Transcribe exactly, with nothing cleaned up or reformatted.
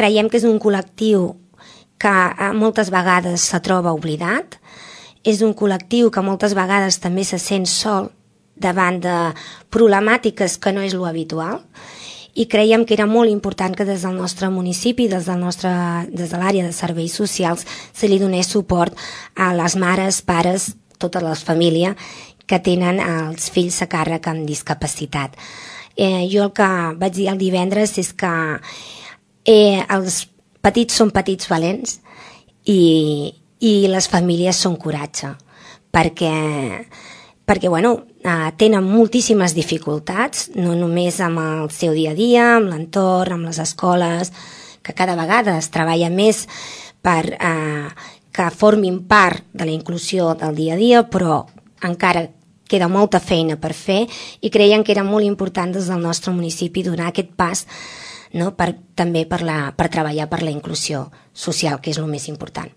creiem que és un col·lectiu que moltes vegades se troba oblidat, és un col·lectiu que moltes vegades també se sent sol davant de problemàtiques que no és lo habitual, i creiem que era molt important que des del nostre municipi, des, del nostre, des de l'àrea de serveis socials, se li donés suport a les mares, pares, tota la família que tenen els fills a càrrec amb discapacitat. Eh, jo el que vaig dir el divendres és que eh, els petits són petits valents i, i les famílies són coratge, perquè, perquè bueno, eh, tenen moltíssimes dificultats, no només amb el seu dia a dia, amb l'entorn, amb les escoles, que cada vegada es treballa més per eh, que formin part de la inclusió del dia a dia, però encara queda molta feina per fer i creiem que era molt important des del nostre municipi donar aquest pas, no, per, també per, la, per treballar per la inclusió social, que és el més important.